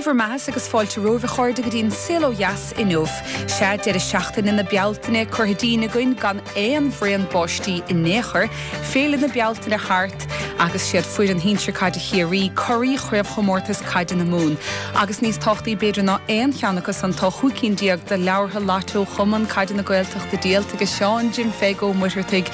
bhur mbeatha agus fáilte romhaibh a chairde go dtí an Saol Ó Dheas inniu. Sea, deireadh seachtaine na Bealtaine curtha dínn againn gan aon bhraon báistí in aon chor, Féile na Bealtaine thart agus siad foireann shinsir caide Chiarraí curaidh Chraobhchomórtas Caide na Mumhan. Agus níos tábhachtaí b'fhéidir ná aon cheann acu san tá 15 cinn de leabhartha Lató Chumann Caide na Gaeltachta díolta ag Seán Jim Pheig Ó Muircheartaigh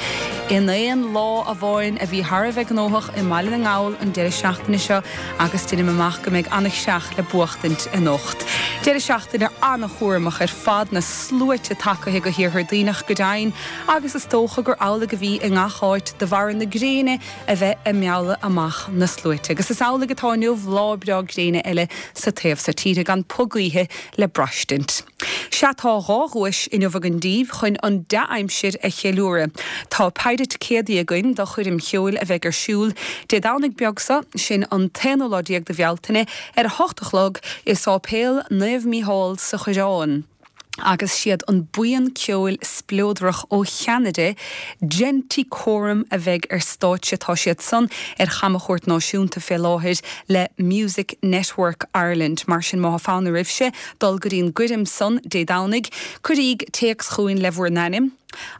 in aon lá amháin a bhí thar a bheith gnóthach i mBaile na nGall an deireadh seachtaine seo. agus deinim amach go mbeidh ana-chreach le buachtaint anocht. Deireadh seachtaine ana-chúramach ar fad, na sluaite tagaithe go hIarthar Duibhneach go deimhin, agus is dócha gur amhlaidh a bhí i ngach áit de bharra na gréine a bheith ag mealladh amach na sluaite. Agus is amhlaidh atá inniu, lá breá gréine eile sa taobh so tíre, gan puth gaoithe le braistint. Sea, tá 2 dhuais inniu againn daoibh chun an dea-aimsir a cheiliúradh. Tá péire ticéadaí againn do choirm cheoil a bheidh ar siúl Dé Domhnaigh beag seo, sin an t-aonú lá déag de Bhealtaine, ar a hocht a chlog i Sáipéal Naomh Mícheál sa Choireán. Agus siad an buíon ceoil spleodrach ó Cheanada, Genticorum a bheidh ar stáitse. Tá siad san ar chamchuairt náisiúnta fé láthair le Music Network Ireland. Mar sin má tá fonn oraibhse dul go dtí an gcoirm san Dé Domhnaigh, cuiríg téacs chugainn le bhur n-ainm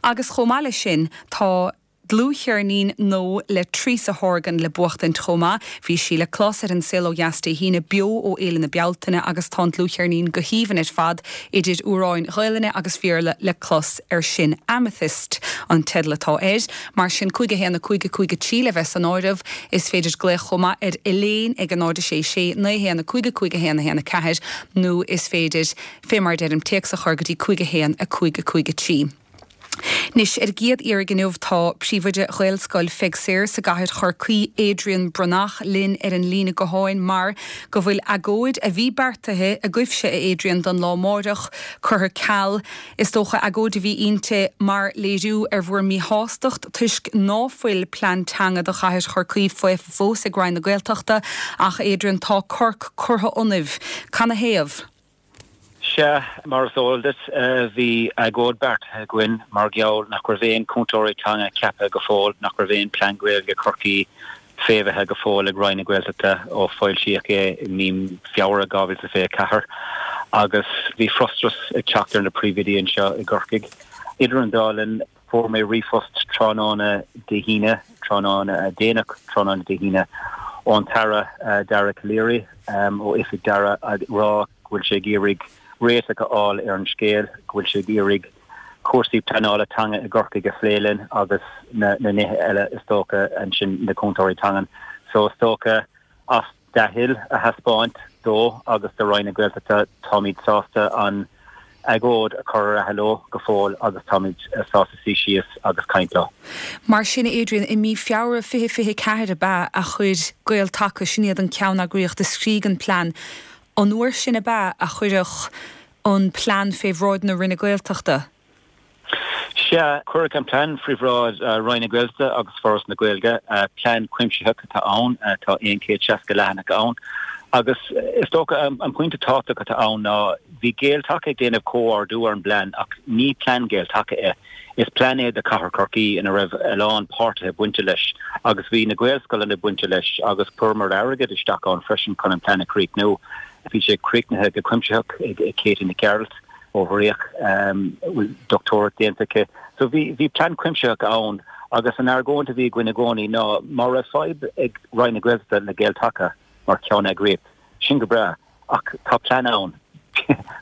agus chomh maith leis sin tá dlúthcheirnín nua le Teresa Horgan le buachtaint chomh maith. Bhí sí le clos ar An Saol Ó Dheas Dé hAoine beo ó Fhéile na Bealtaine agus tá an dlúthcheirnín go haoibhinn ar fad idir amhráin Ghaelainne agus Bhéarla le clos air sin. Amethyst an teideal atá air. Mar sin, 5 1 5 5 3 le bheith san áireamh. Is féidir glaoch chomh maith ar Elaine ag 0 6 6 9 1 5 5 1 1 4 nó is féidir, fé mar a deirim, téacs a chur go dtí 5 1 5 5 3. Anois, ar an gcéad iarraidh inniu tá Príomhoide Ghaelscoil Pheig Sayers i gcathair Chorcaí, Adrian Breathnach, linn ar an líne gutháin mar go bhfuil agóid a bhí beartaithe agaibhse, a Adrian, don lá amáireach, curtha ceal. Is dócha agóid a bhí inti mar léiriú ar bhur míshástacht toisc ná fuil plean teanga do chathair Chorcaí faofa fós ag Roinn na Gaeltachta ach, Adrian, tá corc curtha ionaibh. Canathaobh? Sea, mar is eol duit, bhí agóid beartaithe againn mar gheall nach raibh aon chúntóirí teanga ceaptha go fóill, nach raibh aon Plean Gaeilge Chorcaí faomhaithe go fóill ag Roinn na Gaeltachta ó foilsíodh é i mí Feabhra 2024 agus bhí frustrachas ag teacht ar na príomhoidí anseo i gCorcaigh. Idir an dá linn, fuair mé ríomhphost tráthnóna Dé hAoine, tráthnóna déanach tráthnóna Dé hAoine, ón tAire Dara Calleary ó oifig Dara ag rá go bhfuil sé ag iarraidh réiteach a fháil ar an scéal, go bhfuil sé ag iarraidh cúrsaí pleanála teanga i gCorcaigh a phlé linn agus na nithe eile is dócha ansin, na cúntóirí teangan. So is dócha as dea-thoil a thaispeáint dó agus do Roinn na Gaeltachta táimid sásta an agóid a chur ar athló go fóill agus táimid sásta suí síos agus caint leo. Mar sin, a Adrian, i mí Feabhra 2024 ab ea a chuir Gael Taca, sin iad an ceanneagraíocht a scrígh an plean, an uair sin ab ea a cuireadh an plean fé bhráid na Roinne Gaeltachta? Sea, cuireadh an plean faoi bhráid Roinn na Gaeltachta agus Foras na Gaeilge. Plean cuimsitheach atá ann, tá 160 leathanach ann agus is dócha an pointe tábhachtach atá ann ná bhí Gael Taca ag déanamh comhordú ar an bplean ach ní plean Gael Taca é. Is plean é do Chathair Chorcaí ina raibh a lán páirtithe bainte leis agus bhí na Gaelscoileanna bainte leis agus chuireamar airgead isteach ann freisin chun an plean a chríochnú. Bhí sé críochnaithe go cuimsitheach ag Katie Nic Gearailt ó Bhríoch, a bhfuil dochtúireacht déanta aici. So bhí bhí plean cuimsitheach ann agus an argóint a bhí againn i gcónaí ná má raibh fadhb ag Roinn na Gaeltachta le Gael Taca mar cheanneagraíocht, sin go breá. Ach tá plean ann.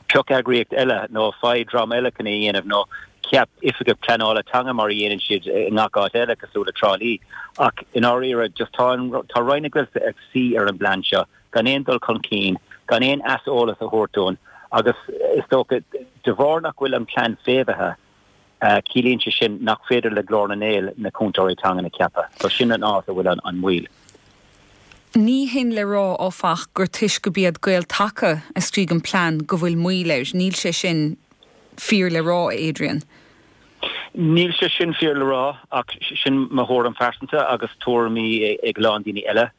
Pioc eagraíocht eile nó faigh dream eile chun é a dhéanamh nó ceap oifigeach pleanála teanga mar a dhéanann siad i ngach áit eile cosúil le Trá Lí. Ach i ndáiríre just tá an tá Roinn na Gaeltachta ag suí ar an bplean seo gan aon dul chun cinn, gan aon aiseolas a thabhairt dúinn agus is dócha de bharr nach bhfuil an plean faomhaithe, Ciallaíonn sé sin nach féidir le Glór na nGael na cúntóirí teangan a cheapadh. So sin an áit a bhfuil an mhoill. Ní hin le rá, áfach, gur toisc go b'iad Gael Taca a scrígh an plean go bhfuil moill air. Níl sé sin fíor le rá, a Adrian. Níl sé sin fíor le rá, ach sin mo thuairim phearsanta agus tuairimí ag a lán daoine eile.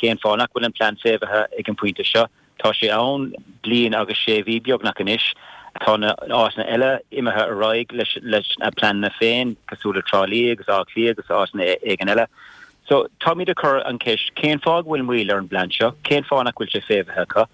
Cén fáth nach bhfuil an plean faomhaithe ag an bpointe seo? Tá sé ann bliain agus sé mhí beagnach anois. Tá na áiteanna eile imithe ar aghaidh leis a pleananna féin, cosúil le Trá Lí agus Áth Cliath agus áiteanna éigin eile. So, táimid ag cur an cheist, cén fáth go bhfuil moill ar an bplean seo? Cén fáth nach bhfuil sé faomhaithe acu?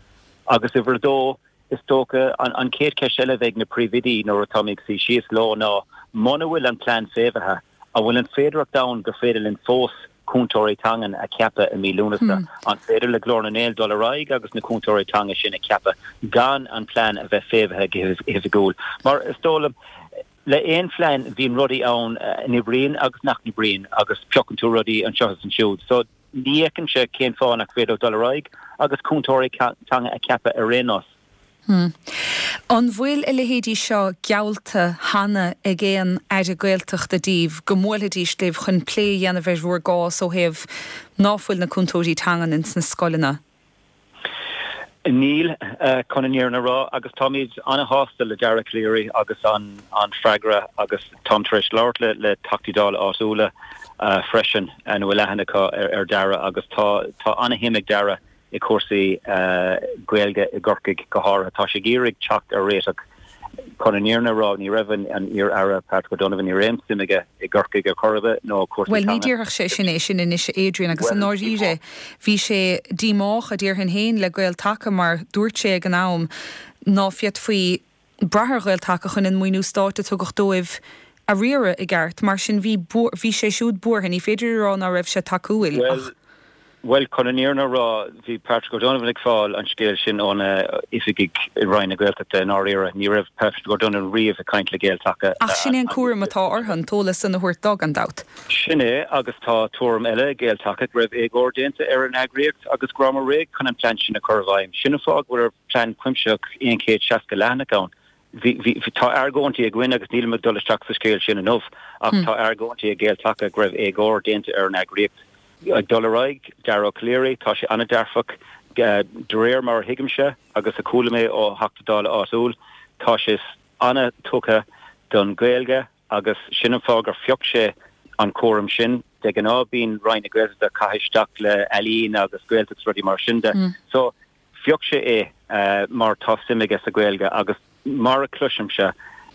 Agus uimhir a dó, is dócha, an chéad cheist eile a bheidh ag na príomhoidí nuair atáimid ag suí síos leo ná muna bhfuil an plean faomhaithe, an bhfuil an féidearthacht ann gur féidir linn fós cúntóirí teangan a cheapadh i mí Lúnasa? An féidir le Glór na nGael dul ar aghaidh agus na cúntóirí teanga sin a cheapadh gan an plean a bheith faomhaithe go hoifigiúil? Mar is dóigh liom, le aon phlean bíonn rudaí ann a n-oibríonn agus nach n-oibríonn agus piocann tú rudaí anseo is ansiúd. So ní fheicimse cén fáth nach féidir dul ar aghaidh agus cúntóirí teanga a cheapadh ar aon nós. Hmm. An bhfuil a leithéidí seo geallta cheana ag aon Aire Gaeltachta daoibh go mbuailfidís libh chun plé a dhéanamh ar bhur gcás ó thaobh ná fuil na cúntóirí teangan ins na scoileanna? Níl, chun an fhírinne a rá, agus táimid an-shásta le Dara Calleary agus an freagra agus táim tar éis labhairt le le Teachtaí Dála áitiúla freisin a bhfuil aithne acu ar Dara agus tá tá an-shuim ag Dara i cúrsaí Gaeilge i gCorcaigh go háirithe. Tá sé ag iarraidh teacht ar réiteach. Chun an fhírinne a rá, ní raibh an iar-aire Patrick O'Donovan, ní raibh aon suim aige i gCorcaigh ar chor ar bith nó cúrsaí Bhuel, ní teanga. déarfadh sé sin é sin anois, a Adrian, agus i Bhuel, ndáiríre, bhí sé díomách, a déarfainn féin, le Gael-Taca mar dúirt sé ag an am ná féadfaí brath ar Ghael-Taca chun an maoiniú stáit a tugadh dóibh a riaradh i gceart. Mar sin bhí, bhí sé siúd buartha. Ní féidir a rá ná raibh sé tacúil ach. Bhuel, chun an fhírinne a rá, bhí Patrick O'Donovan ag fáil an scéil sin ó na oifigigh i Roinn na Gaeltachta i ndáiríre. Ní raibh Patrick O'Donovan riamh ag caint le Gael-Taca. Ach sin é an cúram atá orthu, an t-eolas san a thabhairt dó, gan dabht. Sin é, agus tá tuairim eile ag Gael-Taca go raibh éagóir déanta ar an eagraíocht agus go rabhamar réidh chun an plean sin a chur i bhfeidhm. Sin an fáth go bhfuil plean cuimsitheach 160 leathanach ann. Bhí, bhí, tá argóintí againn agus nílim ag dul isteach sa scéal sin inniu, ach tá argóintí ag Gael-Taca go raibh éagóir déanta ar an eagraíocht. Ag dul ar aghaidh, Dara Ó Calleary, tá sé an-dearfach, de réir mar a thuigimse agus a chuala mé ó Theachta Dála áitiúil, tá sé an-tugtha don Ghaeilge agus sin an fáth gur phioc sé an cúram sin. De ghnáth bíonn Roinn na Gaeltachta ag caitheamh isteach le ealaín agus Gaeltacht is rudaí mar sin de. So, Phioc sé é mar tá suim aige sa Ghaeilge agus mar a chloisimse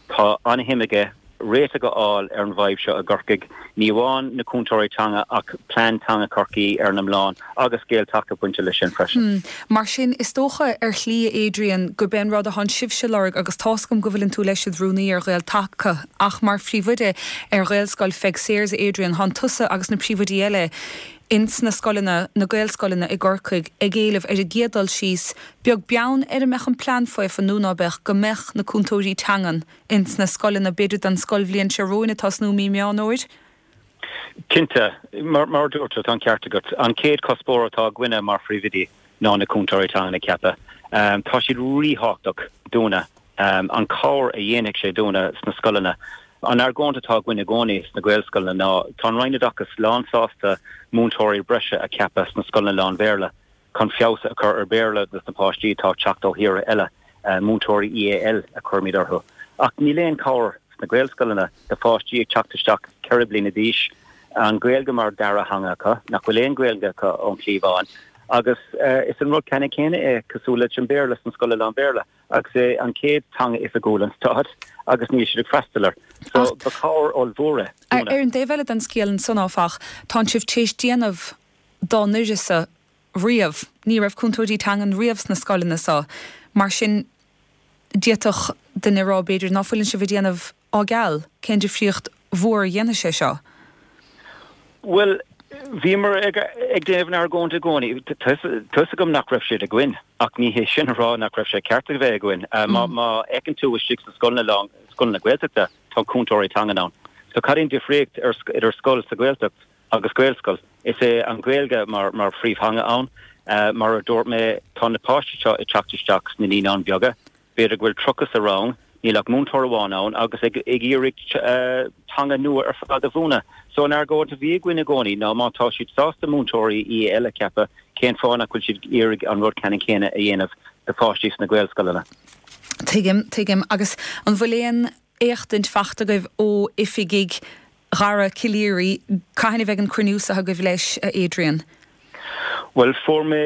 tá an-shuim aige réiteach a fháil ar an bhfadhb seo i gCorcaigh, ní amháin na cúntóirí teanga ach plean teanga Chorcaí ar an iomlán agus Gael-Taca bainte leis sin freisin. Mar sin, is dócha ar shlí, a Adrian, gurb é an rud atánn sibhse a lorg, agus tá's agam go bhfuileann tú leis id rúnaí ar Ghael-Taca, ach mar phríomhoide ar Ghaelscoil Pheig Sayers, a Adrian, thánn tusa agus na príomhoidí eile ins na scoileanna, na Gaelscoileanna i gCorcaigh, ag éileamh ar an gcéad dul síos, beag beann ar an mbeadh an plean faofa nó ná beadh, go mbeadh na cúntóirí teangan ins na scoileanna, b'fhéidir don scoilbhliain seo romhainn ag tosnú mí Meán Fhómhair? Cinnte. Mar a dúirt tú, tá an ceart agat. An chéad chuspóir atá againne mar phríomhoidí ná na cúntóirí teangan a cheapadh. Tá siad ríthábhachtach dúinne. An chabhair a dhéanfaidh sé dúinne sna scoileanna. An argóint atá againn i gcónaí sna Gaelscoileanna ná tá an Roinn Oideachais lánsásta múinteoirí breise a cheapadh sna scoileanna lán-Bhéarla chun feabhas a chur ar Bhéarla dos na páistí atá ag teacht ó thíortha eile, múinteoirí EAL a chuirimid orthu. Ach níl aon chabhair sna Gaelscoileanna do pháistí ag teacht isteach 4 bliana d'aois, an Ghaeilge mar dara theanga acu, nach bhfuil aon Ghaeilge acu ón chliabhán agus is an rud ceannann céanna é cosúil leis an Béarla sna scoileanna lán-Bhéarla. Agus é an chéad teanga oifigiúil an stáit agus níl siad ag freastal air. So ba chabhair ollmhór é dúinne. Ar an dtaobh eile den scéal ansan áfach, tánn sibh téis déanamh dá n-uireasa riamh. Ní raibh cúntóirí teangan riamh sna scoileanna so. Mar sin d'fhéadfadh duine a rá b'fhéidir ná fuileann sibh ag déanamh á gceal. Cén difríocht mhór a dhéanfaidh sé seo? Bhuel, bhíomar ag déanamh an argóint i gcónaí. Tá fhios agam nach raibh siad againn, ach ní hé sin a rá nach raibh sé ceart a bheith againn. Má fheiceann tú istigh sna scoileanna, scoileanna Gaeltachta, tá cúntóirí teangan ann. So cad é an difríocht idir scoil sa Ghaeltacht agus Gaelscoil? Is é an Ghaeilge mar phríomhtheanga ann. Mar a dúirt mé, tá na páistí seo ag teacht isteach sna naíonáin bheaga. B'fhéidir go bhfuil 30 sa rang, níl ach múinteoir amháin ann agus ag iarraidh teanga nua ar fad a mhúineadh. So an argóint a bhí againn i gcónaí ná má tá siad sásta múinteoirí EAL a cheapadh, cén fáth nach bhfuil siad ag iarraidh an rud ceannann céanna a dhéanamh do pháistí sna Gaelscoileanna? Tuigim, tuigim. Agus an bhfuil aon éachtaint fachta agaibh ó oifigigh Dhara Calleary, cathain a bheidh an cruinniú seo agaibh leis, a Adrian? Bhuel, fuair mé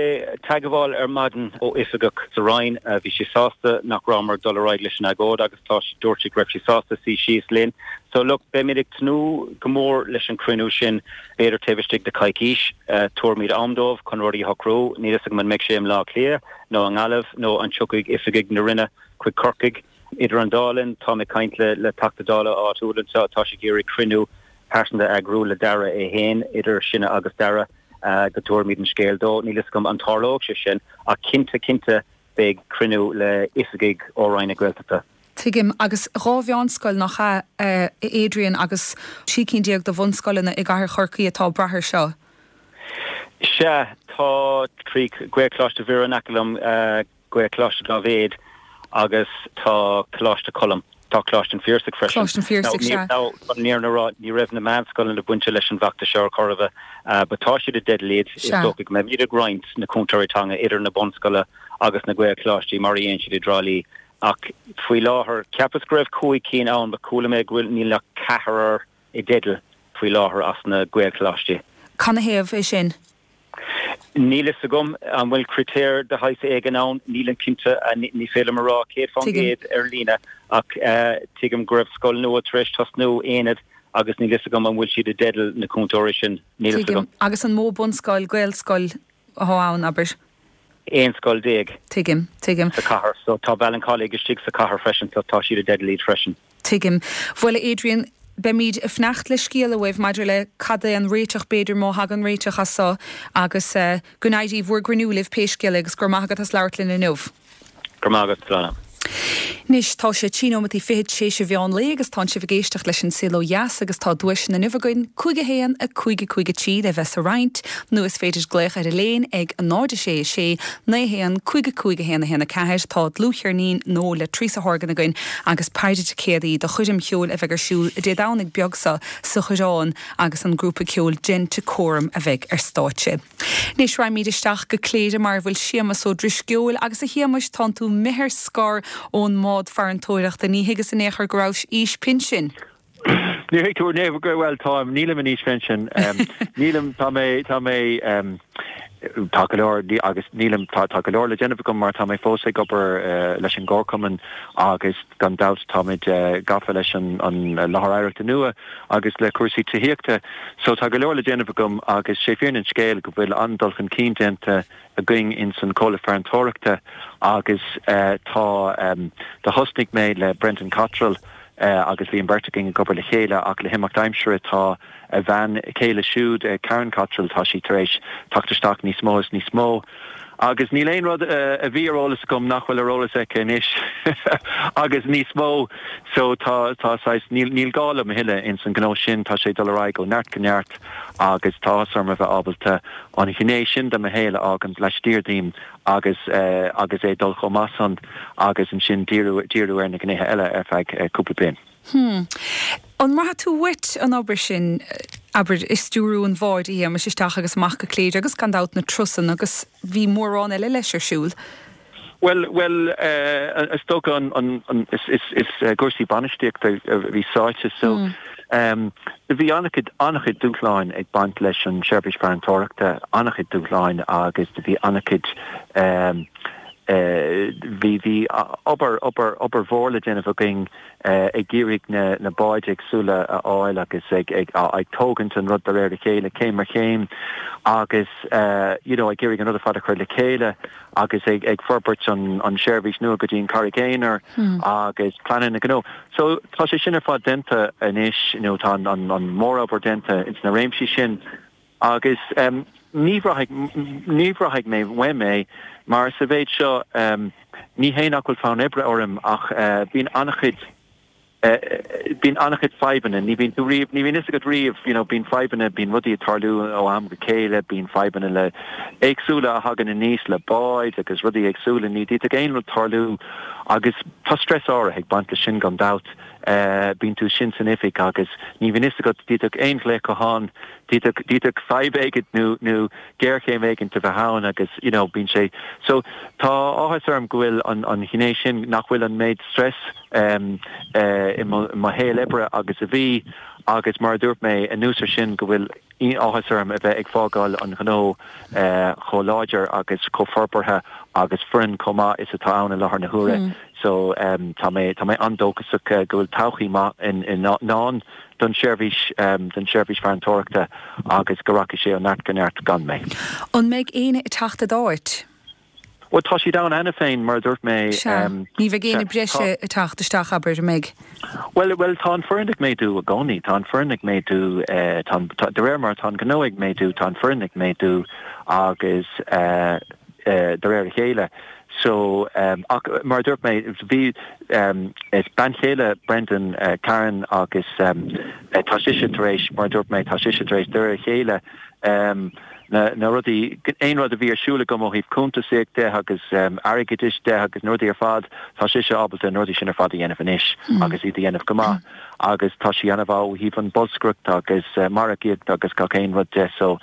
teagmháil ar maidin ó oifigeach sa Roinn. Bhí sé sásta nach rabhamar ag dul ar aghaidh leis an agóid agus tá, dúirt sé go raibh sé sásta suí síos linn. So look, beimid ag tnúth go mór leis an cruinniú sin, b'fhéidir taobh istigh de choicís. Tabharfaimid am dóibh chun rudaí a shocrú. Níl fhios agam an mbeidh sé i mBleá Cliath nó i nGaillimh nó an tiocfaidh oifigigh na Roinne chuig Corcaigh. Idir an dá linn, táim ag caint le Teachta Dála áitiúil anseo atá sé ag iarraidh cruinniú pearsanta a eagrú le d'Aire é féin, idir sinne agus d'Aire, go dtabharfaimid an scéal dó. Níl fhios agam an dtarlóidh sé sin, ach cinnte, cinnte beidh cruinniú le oifigigh ó Roinn na Gaeltachta. Tuigim. Agus 2 mheánscoil, nach ea, a Adrian, agus 13 cinn de bhunscoileanna i gcathair Chorcaí atá ag brath air seo? Sea, tá trí Ghaelcholáiste Mhuire in aice liom, Gaelcholáiste Dáibhéid agus tá Coláiste Choilm. Tá Coláiste an Phiarsaigh freisin. Coláiste an Phiarsaigh, sea. Now, chun an fhírinne a rá, ní raibh na meánscoileanna bainte leis an bhfeachtas seo ar chor ar bith, but tá siad i dteideal iad. Is dócha go mbeimid ag roinnt na cúntóirí teanga idir na bunscoileanna agus na Gaelcholáistí mar a dhéanann siad i dTrá Lí. Ach faoi láthair, cheapas go raibh 5 cinn ann but chuala mé go bhfuil, níl ach ceathrar i dteideal faoi láthair as na Gaelcholáistí. Canathaobh é sin? Níl fhios agam an bhfuil critéir de shaghas éigin ann, nílim cinnte, ní féidir liom a rá 100% ar líne ach tuigim go raibh scoil nua tar éis tosnú, Aonad, agus níl fhios agam an bhfuil siad i dteideal na cúntóirí sin, níl fhios agam. Tuigim. Agus an mó bunscoil, Gaelscoil atá ann, abair? 11 scoil. Tuigim, tuigim. Sa chathair. So tá Ballincollig istigh sa chathair freisin so tá siad i dteideal iad freisin. Tuigim. Bhuel, a Adrian, beimid ag fanacht le scéala uaibh maidir le cad é an réiteach, b'fhéidir, má thagann réiteach as so, agus go n-éirí bhur gcruinniú libh pé scéal é, agus go raibh maith agat as labhairt linn inniu. Go raibh maith agat, Sláine. Anois, tá sé trí nóimeataí fichead t'éis an mheán lae agus tánn sibh ag éisteacht leis an Saol Ó Dheas agus tá duaiseanna inniu againn, 5 1 5 5 3 le bheith sa roinnt, nó is féidir glaoch ar Elaine ag 0 6 6 9 1 5 5 1 1 4. Tá dlúthcheirnín nua le Teresa Horgan againn agus péire ticéadaí do choirm cheoil a bheidh ar siúl Dé Domhnaigh beag seo sa Choireán agus an grúpa ceoil Genticorum a bheidh ar stáitse. Anois raghaimid isteach go Cléire mar a bhfuil Séamus Ó Drisceoil agus a Shéamais tánn tú imithe ar scor ón mbád farantóireachta, ní thuigeas in aon chor go rabhais aois pinsin. Níor thuig tú in aon chor, bhuel táim, nílim in aois phinsin, nílim, tá mé, tá mé, tá go leor, agus nílim, tá, tá go leor le déanamh agam mar tá mé fós ag obair leis an gcomharchumann agus gan dabht táimid gafa leis an láthair oidhreachta nua agus le cúrsaí tithíochta. So tá go leor le déanamh agam agus sé fírinne an scéil go bhfuil an-dul chun cinn déanta againn ins an comhlacht farantóireachta agus tá, do thosnaigh mé le Brendan Cottrell agus bhí an bheirt againn ag obair le chéile ach le himeacht aimsire tá a bhean chéile siúd, Karen Cottrell, tá sí tar éis teacht isteach níos mó is níos mó. Agus níl aon rud a bhí ar eolas agam nach bhfuil ar eolas aici anois agus níos mó. So tá, tá saghas, níl, níl gá liom a thuilleadh ins an ghnó sin, tá sé ag dul ar aghaidh ó neart go neart agus tá áthas orm a bheith ábalta an ghné sin de mo shaol a fhágaint laistiar díom agus, agus é ag dul chomh maith san agus ansin díriú, díriú ar na gnéithe eile ar feadh cúpla bliain. Hmm. An mbraithfidh tú uait an obair sin, abair, ag stiúrú an bháid, a Shéamais, isteach agus amach go Cléire agus gan dabht na turasanna agus bhí mórán eile leis ar siúl? Bhuel, bhuel, eh, is dócha an, an, an, is, is, is i gcúrsaí bainistíochta a bhí sáite so, em, bhí an-chuid, an-chuid dúshláin ag baint leis an seirbhís farantóireachta, an-chuid dúshláin agus do bhí an-chuid, em, eh, bhí, bhí obair, obair, obair mhór le déanamh againn, ag iarraidh na báid éagsúla a fháil agus ag ag tógaint an rud de réir a chéile, céim ar chéim agus you know ag iarraidh an rud ar fad a chur le chéile agus ag ag forbairt an an seirbhís nua go dtí an Charraig Aonair agus pleananna gnó. So tá sé sin ar fad déanta anois, you know tá an an an mórobair déanta ins na réimsí sin agus ní bhraithfidh ní bhraithfidh mé uaim é mar sa mhéid seo ní hé nach bhfuil fonn oibre orm ach bíonn an-chuid bíonn an-chuid fadhbanna ní bhíonn tú riamh ní bhíonn fhios agat riamh you know bíonn fadhbanna bíonn rudaí ag tarlú ó am go chéile bíonn fadhbanna le éagsúla a thagann aníos le báid agus rudaí éagsúla ní d'fhéadfadh aon rud tarlú agus tá stress áirithe ag baint leis sin gan dabht. Bíonn tú sin san oifig agus ní bhíonn fhios agat, d'fhéadfadh aon ghlaoch gutháin, d'fhéadfadh, d'fhéadfadh fadhb éigin nó, nó géarchéim éigin a bheith ann agus you know bíonn sé, so tá áthas orm go bhfuil an, an ghné sin, nach bhfuil an méid stress i mo, i mo shaol oibre agus a bhí. Agus mar a dúirt mé, anuas ar sin go bhfuil áthas orm a bheith ag fágáil an ghnó chomh láidir agus chomh forbartha agus foireann chomh maith is atá ann i láthair na huaire. So tá mé, tá mé an-dóchasach go bhfuil todhchaí maith i ndán don tseirbhís, don tseirbhís farantóireachta agus go rachaidh sé ó neart go neart gan mé. An mbeidh éinne ag teacht i d'áit? Bhuel, tá siad ann cheana féin, mar a dúirt mé. Sea. Ní bheidh éinne breise ag teacht isteach, abair, an mbeidh? Bhuel, bhuel, tá an foireann ag méadú i gcónaí. Tá an foireann ag méadú, tá an, tá, de réir mar atá an gnó ag méadú, tá an foireann ag méadú agus de réir a chéile. So, ach mar a dúirt mé, bhí, is bean chéile Brendan, Karen, agus tá sise tar éis, mar a dúirt mé, tá sise tar éis de réir a chéile, na rudaí, aon rud a bhí ar siúl agam ó thaobh cuntasaíocht de agus airgeadais de agus na rudaí ar fad, tá sise ábalta na rudaí sin ar fad a dhéanamh anois agus iad a dhéanamh go maith agus tá sí an-mhaith ó thaobh an bolscaireacht agus margaíocht agus gach aon rud de so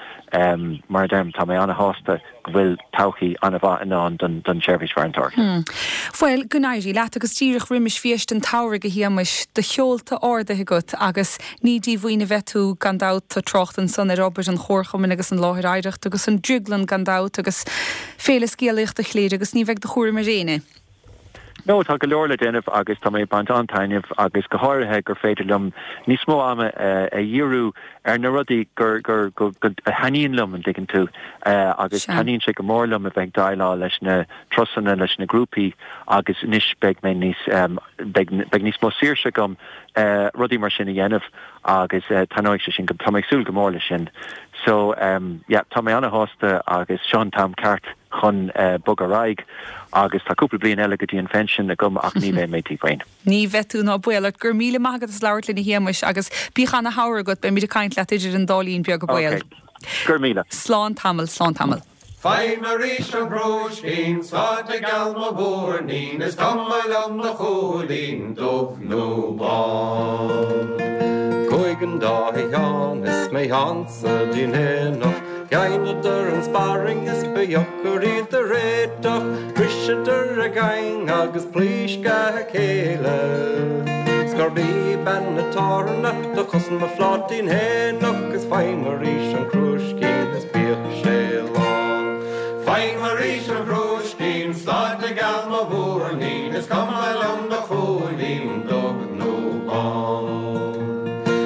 mar a deirim tá mé an-shásta go bhfuil todhchaí an-mhaith i ndán don tseirbhís farantóireachta. Bhuel, go n-éirí leat agus díreach roimis phiast an tsamhraidh, a Shéamais, do sheolta ardaithe agat agus ní díomhaoin a bheidh tú gan dabht, tá trácht ansan ar obair an Chomharchumainn agus an Láthair Oidhreachta agus an Drioglann gan dabht agus Féile Scéalaíochta Chléire agus ní bheidh de chúram ar éinne. No, tá go leor le déanamh agus tá mé ag baint an-taitneamh agus go háirithe gur féidir liom níos mó ama a dhíriú ar na rudaí gur, gur, go, go, a thaitníonn liom, an dtuigeann tú, agus taitníonn sé go mór liom a bheith ag déileáil leis na turasanna, leis na grúpaí agus anois beidh mé níos, beidh, beidh níos mó saoirse agam rudaí mar sin a dhéanamh agus taitneoidh sé sin go, tá mé ag súil go mór leis sin. So, yeah, tá mé an-shásta agus seo an t-am ceart. chun bogadh ar aghaidh agus tá cúpla bliain eile go dtí an phension agam ach ní bheidh mé díomhaoin. Ní bheidh tú, ná baol ort. Go raibh míle maith agat as labhairt linn a Shéamais agus bíodh ana shamhradh agat, beimid ag caint leat idir an dá linn beag a baol. Ok. Go raibh míle. Slán tamall, slán tamall. Faighim arís an crúiscín, sláinte geal mo mhúirnín, is cuma liom do chúilín, dubh nó bán. Chuaigh an dá Sheán is mé Sheánsa dtí'n aonach, Dheineadar an sparring is ba dheocair iad a réiteach, Bhriseadar a gcaing agus pléascadh a chéile. 'S gurb í bean an tábhairne do chosain mo phláitín fhéineach Is faighim arís an crúiscín is bíodh sé lán. Faighim arís an crúiscín, sláinte geal mo mhúirnín, Is cuma liom do chúilín, dubh nó bán.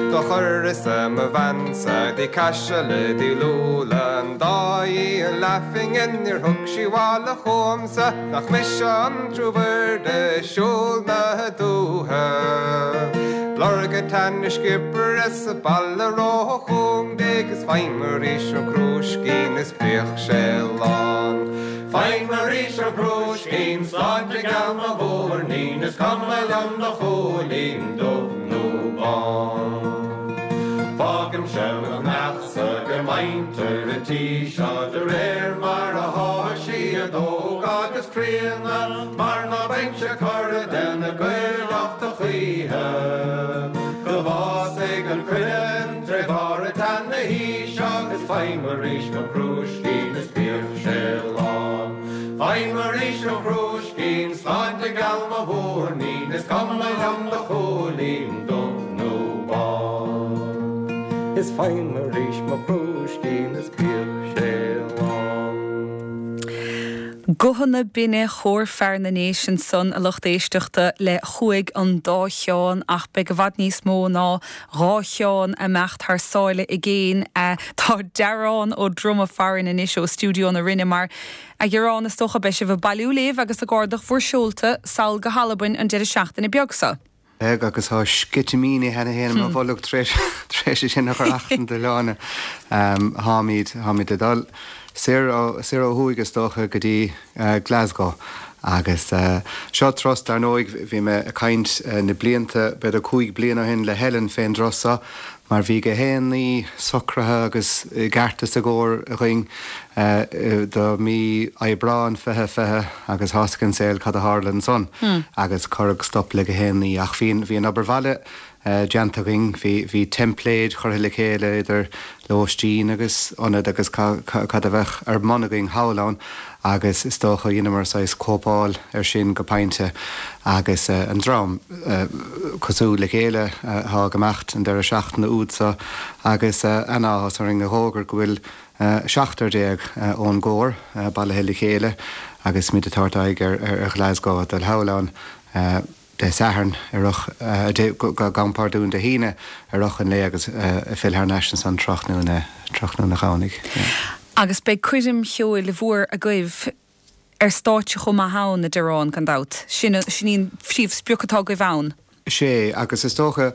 Do chuireas-sa mo bhean-sa dtí Caiseal i dTír Úlla, an dá dhíol leathphingin níor thug sí abhaile chugamsa, nach mise an triú bird ag siúl na dúiche. Lorg a teann sciobaire sa baile ró-chúng di, 'gus faighim arís an crúiscín is bíodh sé lán. Faighim arís an crúiscín, sláinte geal mo mhúirnín, is cuma liom do chúilín, dubh nó bán. Fágaimse mo neachsa go mbaintear an tí seo de réir mar athá siad óg agus críonna, mar ná beinnse curtha de na Gaeil ach choíche. Go bhfásfaidh an coileán tré bharr a teann na haoise agus faighim arís mo chrúiscín is bíodh sé lán. Faighim arís mo chrúiscín, sláinte geal mo mhúirnín, is cuma liom do chúilín, dubh nó bán. Is faighim arís mo chrúiscín is bíodh sé lán. Guthanna binne Chór Fear na nDéise ansan, a lucht éisteachta, le Chuaigh an Dá Sheán ach beidh i bhfad níos mó ná dhá Sheán ag imeacht thar sáile i gcéin. Tá Dearán Ó Droma farainn anois ó Stiúideo na Rinne mar, a Dhearáin, is dócha beidh sibh ag bailiú libh agus ag ardach bhur seolta sall go hAlbain an deireadh seachtaine beag seo. Beidh, agus tá sceitimíní cheana féin i mo bholg tar éis tar éis é sin a chur achan do Shláine. Táimid, táimid ag dul soir ó, soir ó thuaidh is dócha go dtí Glasgow agus seo turas, dar ndóigh, bhí mé ag caint na blianta, b'fhéidir 5 bliana ó shin le Helen fén dturas seo mar bhí gach aon ní socraithe agus i gceart is i gcóir againn do mí Aibreán 2020 agus tá a fhios ag an saol cad a tharla ansan agus cuireadh stop le gach aon ní ach bhí an obair bhaile. déanta againn. Bhí teimpléid curtha le chéile idir lóistín agus ionad agus cad a bheadh ar bun againn thall ann agus is dócha dheineamar saghas cóipeáil ar sin go pointe agus an dream cosúil le chéile atá ag imeacht an deireadh seachtaine úd so agus an-áthas orainn a dh'fhógairt go bhfuil 17 ón gcór bailithe le chéile agus muid ag tabhairt aghaidh ar Ghlasgow ag dul thall ann. Dé Sathairn i rith, gabhaim pardún, Dé hAoine i rith an lae agus ag filleadh thar n-ais ansan tráthnóna, tráthnóna Dhomhnaigh. Agus beidh coirm cheoil mhór agaibh ar stáitse chomh maith ann, a Dhiarán, gan dabht. Sin, sin í an phríomhsprioc atá agaibh ann. Sé, agus is dócha,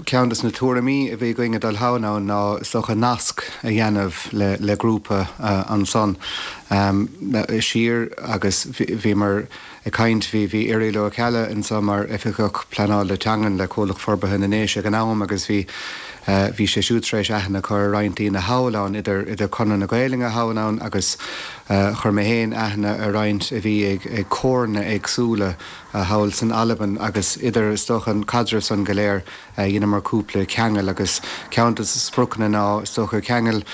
ceann des na tuairimí a bhí againn ag dul thall ann ná is dócha nasc a dhéanamh le, le grúpa ansan siar agus bhíomar, Ag caint, bhí bhí Irial Ó Ceallaigh anso mar Oifigeach Pleanála Teangan le Comhlacht Forbartha na nDéise ag an am agus bhí bhí sé siúd tar éis aithne a chur ar roinnt daoine thall ann, idir idir Conradh na Gaelainne thall ann agus chuir mé féin aithne ar roinnt a bhí ag ag comhairleanna éagsúla thall san Albain agus idir is dócha an caidreamh san go léir dheineamar cúpla ceangal agus ceann de na spriocanna ná is dócha ceangal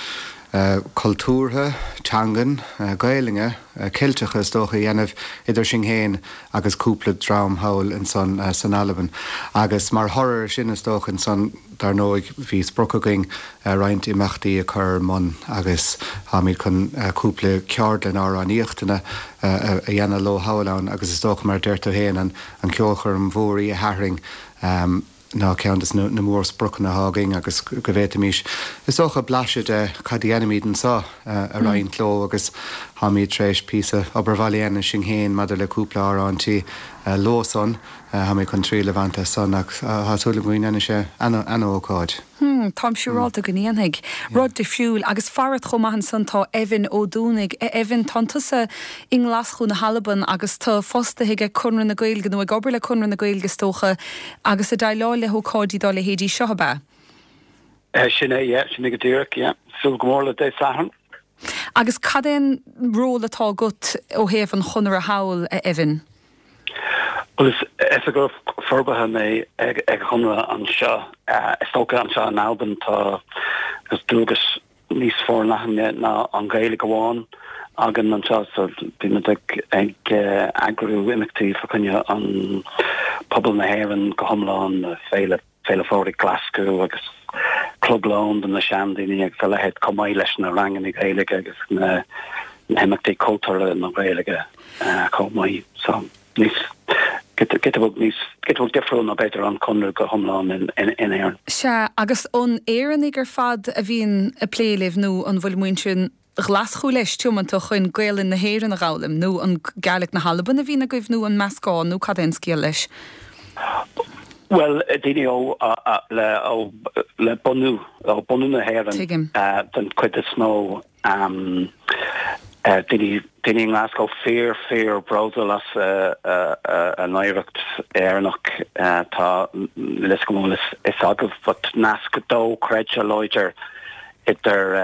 cultúrtha, teangan, Gaelainne, Ceilteacha is dócha a dhéanamh idir sinn féin agus cúpla dream thall ansan san Albain. Agus mar thoradh ar sin is dócha ansan dar ndóigh bhí sprioc againn roinnt imeachtaí a chur ar mbun agus táimid chun cúpla ceardlann amhránaíochta a dhéanamh leo thall ann agus is dócha mar a deir tú féin an ceolchoirm mhór Oíche Shathairn ná ceann de na mórspriocanna atá againn agus go bhféadfaimis, is dócha, blaiseadh de cad a dhéanaimid anseo a roinnt leo agus táimid tar éis píosa obair bhaile a dhéanamh sinn féin maidir le cúpla amhráintí leo san. Táimid chun triail a bhaint as san ach tá súil agam go ndéanfaidh sé ana-ócáid. Hmm, táim siúrálta go ndéanfaidh. Rud difriúil. Agus farat chomh maith ansan tá Evan Ó Dúnaigh. A Evan, tánn tusa i nGlaschú na hAlban agus tu fostaithe ag Conradh na Gaeilge, nó ag obair le Conradh na Gaeilge is dócha, agus ag déileáil le hócáidí dá leithéidí seo, ab ea? Sin é, yeah, sin é go díreach, yeah. Súil go mór le Dé Sathairn. Agus cad é an ról atá agat ó thaobh an Chonartha thall, a Evan? Bhuel, is oifigeach forbartha mé ag an Chonradh anseo. Is dócha anseo in Albain tá dualgas níos forleithne ná an Ghaeilge amháin againn anseo so bímid ag eagrú imeachtaí fá choinne an pobal na hÉireann go hiomlán, Féile Féile Phádraig Glaschú agus Club Lóin do na seandaoine agus a leithéid chomh maith leis na ranganna Gaeilge agus na himeachtaí cultúrtha na Gaeilge chomh maith. So níos giota beag níos giota beag difriúil ná b'fhéidir an Conradh go hiomlán in Éirinn. Sea, agus an Éireannaigh ar fad a bhíonn ag plé libh nó an bhfuil muintir Ghlaschú leis tiomanta chun Gaelainn na hÉireann a dh'fhoghlaim nó an Gaelic na hAlban a bhíonn agaibh nó an meascán nó cad é an scéal leis? Bhuel, daoine ó le ó le bunú ó bunú na hÉireann Tuigim. den chuid is mó. Daoine daoine i nGlasgow fíor fíor bródúil as a n-oidhreacht Éireannach. Tá níl a fhios agam an bhfuil fhios agaibh but nasc dochreidte láidir idir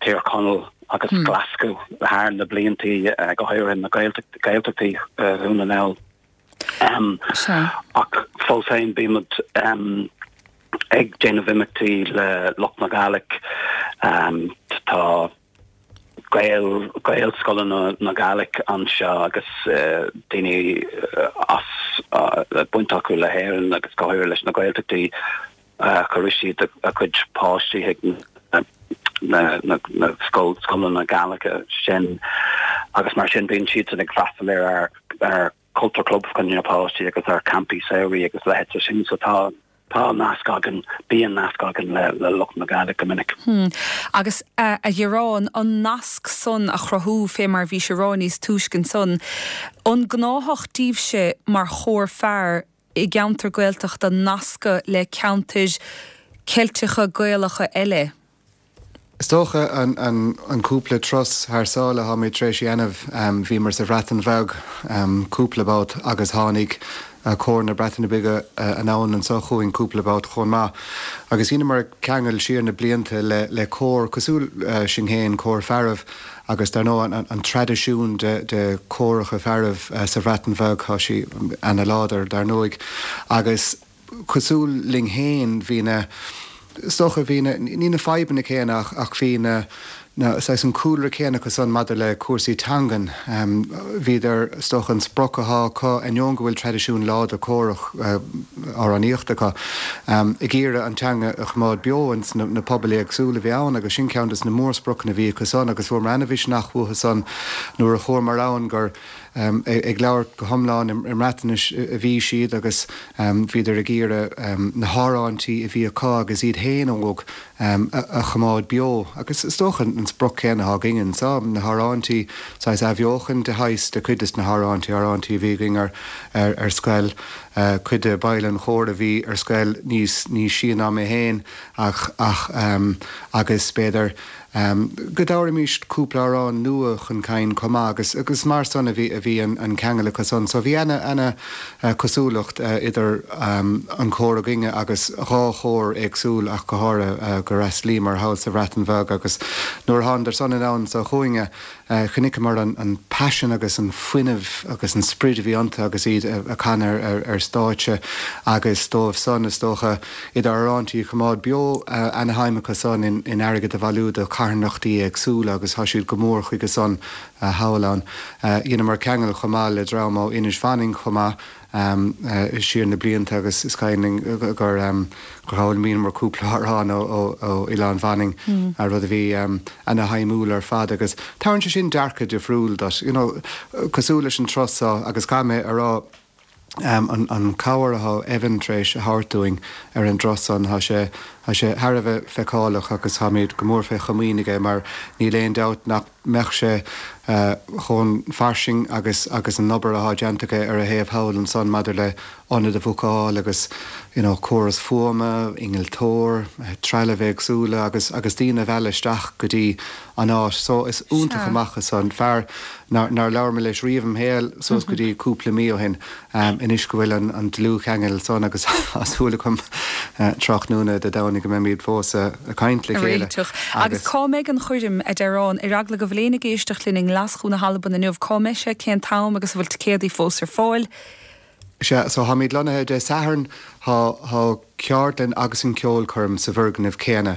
Tír Chonaill agus Glaschú thar na bliantaí, go háirithe na Gaeltachtaí Dhún na nGall. Ach fós féin bímid ag déanamh imeachtaí le lucht na Gàidhlig. Tá Gael, Gaelscoileanna na Gàidhlig anseo agus daoine as baint acu le hÉirinn agus go háirithe leis na Gaeltachtaí. Cuirfidh siad a gcuid páistí chuig na scoileanna Gàidhlige sin agus mar sin bíonn siadsan ag freastal ar ár Culture Club fá choinne na páistí agus ar campaí samhraidh agus leithéid de sin. So tá tá nasc againn, bíonn nasc againn le le lucht na Gàidhlig go minic. Hmm. Agus a Dhiaráin, an nasc san a chruthú fé mar bhís a rá níos túisce ansan, an gnáthach daoibhse mar chór fear i gceantar Gaeltachta nascadh le ceantair Ceilteacha Gaelacha eile. Is dócha an cúpla turas thar sáile atáimid tar éis a dhéanamh, bhíomar sa Bhreatain Bheag cúpla babht agus tháinig Cór na Breataine Bige anonn anseo chugainn cúpla babht chomh maith. Agus dheineamar ceangal siar na blianta le cór cosúil sinn féin, Cór Fearaibh, Agus dar ndóigh an traidisiún de chóracha fearaibh sa Bhreatain Bheag, tá sí ana-láidir dar ndóigh. Agus. Cosúil linn féin, bhí na, is dócha, bhí na, ní na fadhbanna céanna ach, ach bhí na, na, saghas an cúlra céanna acu san maidir le cúrsaí teangan. Bhíodar, is dócha, an sprioc athá acu, ainneoin go bhfuil traidisiún láidir córach amhránaíochta acu, ag iarraidh an teanga a choimeád beo ins na pobail éagsúla a bhí ann agus sin ceann des na mórspriocanna a bhí acu san agus fuaireamar ana-mhisneach uathu san nuair a chuamar ann gur ag labhairt go hiomlán i mBreatnais a bhí siad agus bhíodar ag iarraidh na hamhráintí a bhí acu agus iad féin óg a choimeád beo. Agus is dócha an sprioc céanna atá againn anseo, na hamhráintí, saghas athbheochan de shaghas de chuid des na hamhráintí, amhráintí a bhí againn ar ar scoil, cuid de bhaill an chóir a bhí ar scoil níos níos sia ná mé féin ach ach agus b'fhéidir go dtabharfaimis cúpla amhrán nua chun cinn chomh maith agus agus mar san a bhí a bhí an ceangal acu san. So bhí ana ana cosúlacht idir an cór againne agus dhá chór éagsúil ach go háirithe gur fhreastalaíomar thall sa Bhreatain Bheag agus nuair a thánadar san anonn so chugainne Chonaiceamar an paisean agus an fuinneamh agus an sprid a bhí iontu agus iad ag canadh ar stáitse agus dóibh san, is dócha, idir amhráintí a choimeád beo, ana-shuim acu san in airgead a bhailiú do charthanachtaí éagsúla agus tá siad go mór chuige san thall ann. Dheineamar ceangal chomh maith le dream ó Inis Mhanainn chomh maith. siar na blianta agus is cuimhin linn gur fhoghlaimíomar cúpla amhrán ó Oileán Mhanainn, rud a bhí ana-shuimiúil ar fad agus tabharann sé sin dearcadh difriúil duit, you know, cosúil leis an turas seo agus caithfidh mé a rá an cabhair atá Evan tar éis a thabhairt dúinn ar an dturas san, tá sé, tá sé thar a bheith feiceálach agus táimid go mór fé chomaoin aige mar níl aon dabht nach mbeadh sé chomh fairsing agus agus an obair athá déanta aige ar a thaobh thall ansan maidir le ionad a bhookáil agus you know córas fuaime, innealtóir, trealamh éagsúla agus agus daoine a mhealladh isteach go dtí an áit. So is iontach amach as san. Fear nár nár labhair mé leis riamh im shaol suas go dtí cúpla mí ó shin. Anois go bhfuil an dlúthcheangal san agus tá súil agam tráthnóna Dé Domhnaigh go mbeimid fós ag caint le chéile agus. Agus cá mbeidh an choirm, a Dearáin, ar eagla go bhfuil éinne ag éisteacht linn i nGlaschú na hAlban inniu, cá mbeidh sé, cén t-am agus an bhfuil ticéadaí fós ar fáil? Sea, so táimid lonnaithe Dé Sathairn, tá ceardlann agus an ceolchoirm sa bhfoirgneamh céanna,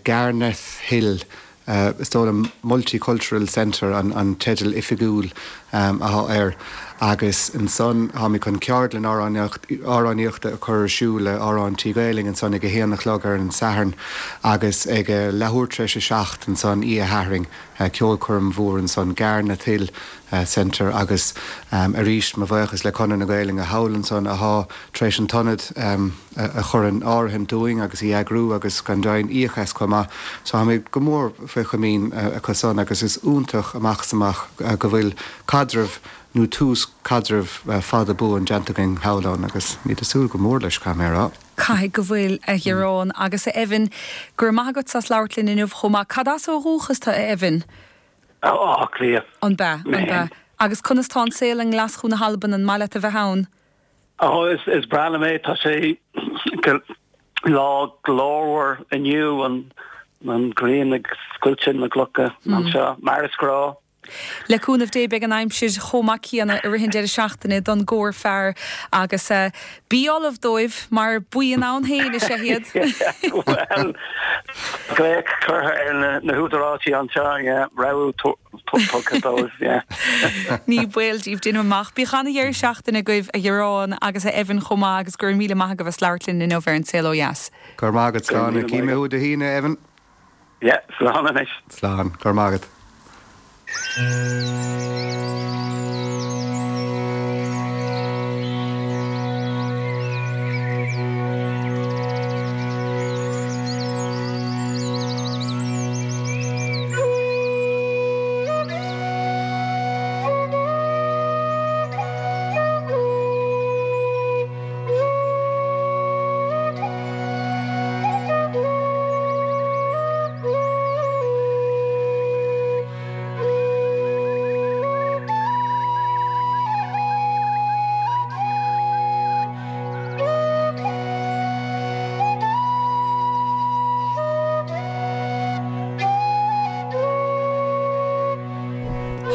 Garnethill Is dóigh liom Multicultural Centre an teideal oifigiúil athá air agus ansan táimid chun ceardlann amhránaíochta a chur ar siúl le amhráintí Gaelainn ansan ag a haon a chlog ar an Satharn agus ag a leathuair tar éis a seacht ansan oíche Shathairn ceolchoirm mhór ansan Garnethill Centre agus arís mo bhuíochas le Conradh na Gaelainne thall ansan athá tar éis an t-ionad a chur in áirithint dúinn agus í eagrú agus gan deimhin íoc as chomh maith. So táimid go mór faoi chomaoin acu san agus is iontach amach is amach go bhfuil caidreamh nó tús caidrimh fada buan déanta againn thall ann agus táimid ag súil go mór leis, caithfidh mé a rá. Caithfidh go bhfuil, a Ghiaráin. Agus a Evan, go raibh maith agat as labhairt linn inniu chomh maith. Cad as ó dhúchas tú, a Evan? Áth Cliath. An b'ea, an b'ea. Agus conas tá an saol i nGlaschú na hAlban, an maith leat a bheith ann? Ó, is breá liom é. Tá sé lá glórmhar inniu, an ghrian ag scoilteadh na gclocha anseo, mar is gnáth. Le cúnamh Dé beidh an aimsir chomh maith céanna i rith an deireadh seachtaine don gcór fear agus bí ullamh dóibh mar buíon ann féin is ea iad. Bhuel, glaoch curtha ar na húdaráisí anseo, yeah, rabhadh tugtha dóibh, yeah. Ní baol daoibh, déanaim amach. Bíodh ana-dheireadh seachtaine agaibh, a Ghiaráin agus a Evan chomh maith agus go raibh míle maith agaibh as labhairt linn inniu ar An Saol Ó Dheas. Go raibh maith agat, Slán. Cífidh mé thú Dé hAoine, Evan. Yeah, slán anois. Slán. Go raibh maith agat.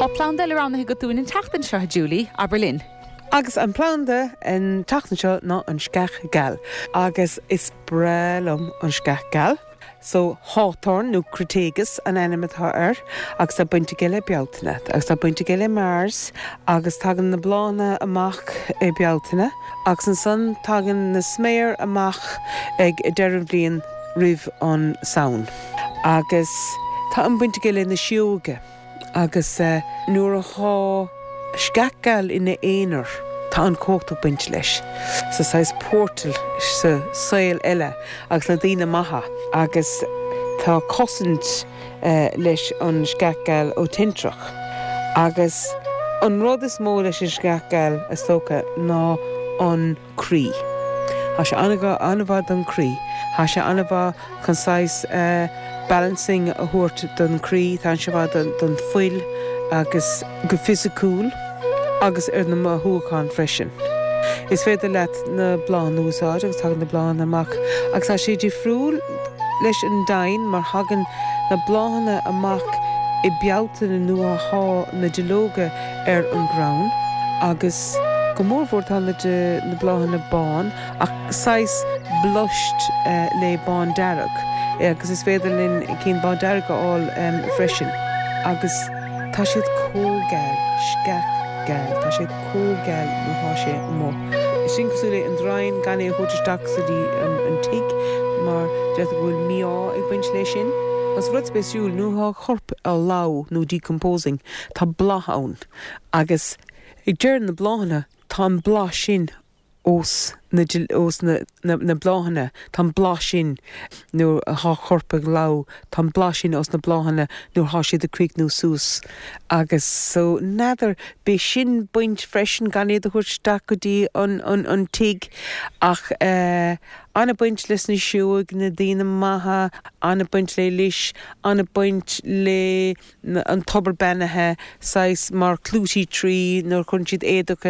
Tá planda eile roghnaithe agat dúinn an tseachtain seo, a Julie, abair linn. Agus an planda an tseachtain seo ná an sceach geal. Agus is breá liom an sceach geal. So, hawthorn nó crataegus an ainm atá air agus tá baint aige le Bealtaine. Agus tá baint aige le Mars agus tagann na bláthanna amach i Bealtaine agus ansan tagann na sméar amach ag deireadh an bhliain roimh an Samhain. Agus tá an baint aige le na síóga. Agus nuair athá sceach geal ina aonar, tá an chumhacht ag baint leis. Sa saghas portal sa saol eile agus na daoine maithe. Agus tá cosaint leis an sceach geal ó tintreach. Agus an rud is mó leis an sceach geal, is dócha, ná an croí. Tá sé an-mhaith don chroí. Tá sé an-mhaith chun saghas balancing a thabhairt don chroí, tá sé mhaith don fuil agus go fisiciúil agus ar na mothúcháin freisin. Is féidir leat na bláthanna a úsáid agus tagann na bláthanna amach agus tá sé difriúil leis an dain mar thagann na bláthanna amach i Bealtaine nuair athá na duilleoga ar an gcrann agus go mórmhór tá na na bláthanna bán ach saghas blushed le bándearg agus is féidir linn cinn bándearg a fháil freisin agus tá siad chomh geal, sceach geal, tá sé chomh geal nuair atá sé amuigh. Sin cosúil le an draighean gan é a thabhairt isteach sa dtí an tigh mar deirtear go bhfuil mí-ádh ag baint leis sin. Agus rud spéisiúil, nuair atá corp á lobhadh nó decomposing, tá bláth ann agus ag deireadh na bláthanna tá an bláth sin ós na ós na na bláthanna, tá an bláth sin nuair athá corp ag lobhadh, tá an bláth sin ós na bláthanna nuair athá siad ag críochnú suas agus so n'fheadar, b'é sin baint freisin gan iad a thabhairt isteach go dtí an an an tigh ach eh an-baint leis na sióg, na daoine maithe, an-baint le lis, an-baint le. an tobar beannaithe, saghas mar clootie tree nuair a chuireann siad éadach